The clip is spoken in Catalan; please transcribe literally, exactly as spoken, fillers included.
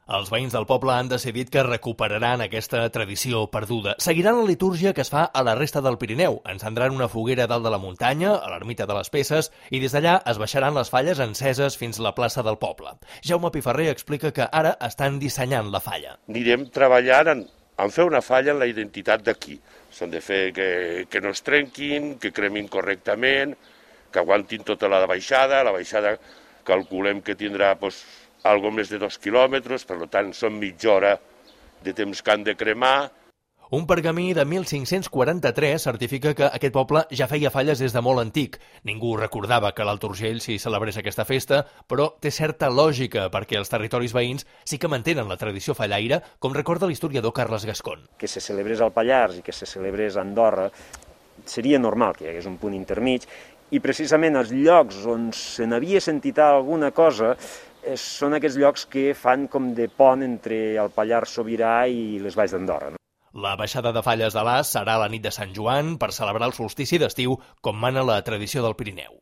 Els veïns del poble han decidit que recuperaran aquesta tradició perduda. Seguiran la litúrgia que es fa a la resta del Pirineu. Encendran una foguera dalt de la muntanya, a l'ermita de les Peces, i des d'allà es baixaran les falles enceses fins a la plaça del poble. Jaume Piferrer explica que ara estan dissenyant la falla. Anirem treballant en, en fer una falla en la identitat d'aquí. S'han de fer que, que no es trenquin, que cremin correctament, que aguantin tota la baixada. La baixada calculem que tindrà doncs, algo més de dos quilòmetres, per tant són mitja hora de temps que han de cremar. Un pergamí de mil cinc-cents quaranta-tres certifica que aquest poble ja feia falles des de molt antic. Ningú recordava que a l'Alt Urgell s'hi celebrés aquesta festa, però té certa lògica perquè els territoris veïns sí que mantenen la tradició fallaire, com recorda l'historiador Carles Gascon. Que se celebrés al Pallars i que se celebrés a Andorra seria normal que hi hagués un punt intermig, i precisament els llocs on se n'havia sentit alguna cosa són aquests llocs que fan com de pont entre el Pallars Sobirà i les Valls d'Andorra. La baixada de falles de l'As serà la nit de Sant Joan per celebrar el solstici d'estiu, com mana la tradició del Pirineu.